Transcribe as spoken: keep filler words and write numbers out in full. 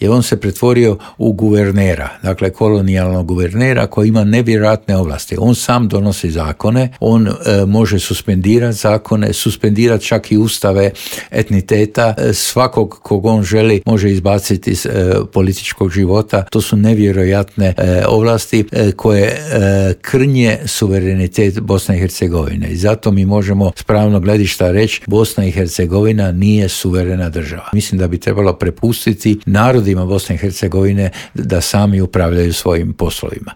je on se pretvorio u guvernera, dakle kolonijalnog guvernera koji ima nevjerojatne ovlasti. On sam donosi zakone, on e, može suspendirati zakone, suspendirati čak i ustave etniteta, e, svakog kog on želi može izbaciti iz e, političkog života. To su nevjerojatne e, ovlasti e, koje e, krnje suverenitet Bosne i Hercegovine. I zato mi možemo s pravnog gledišta reći Bosna i Hercegovina nije suverena država. Mislim da bi trebalo prepustiti narodima Bosne i Hercegovine da sami upravljaju svojim poslovima.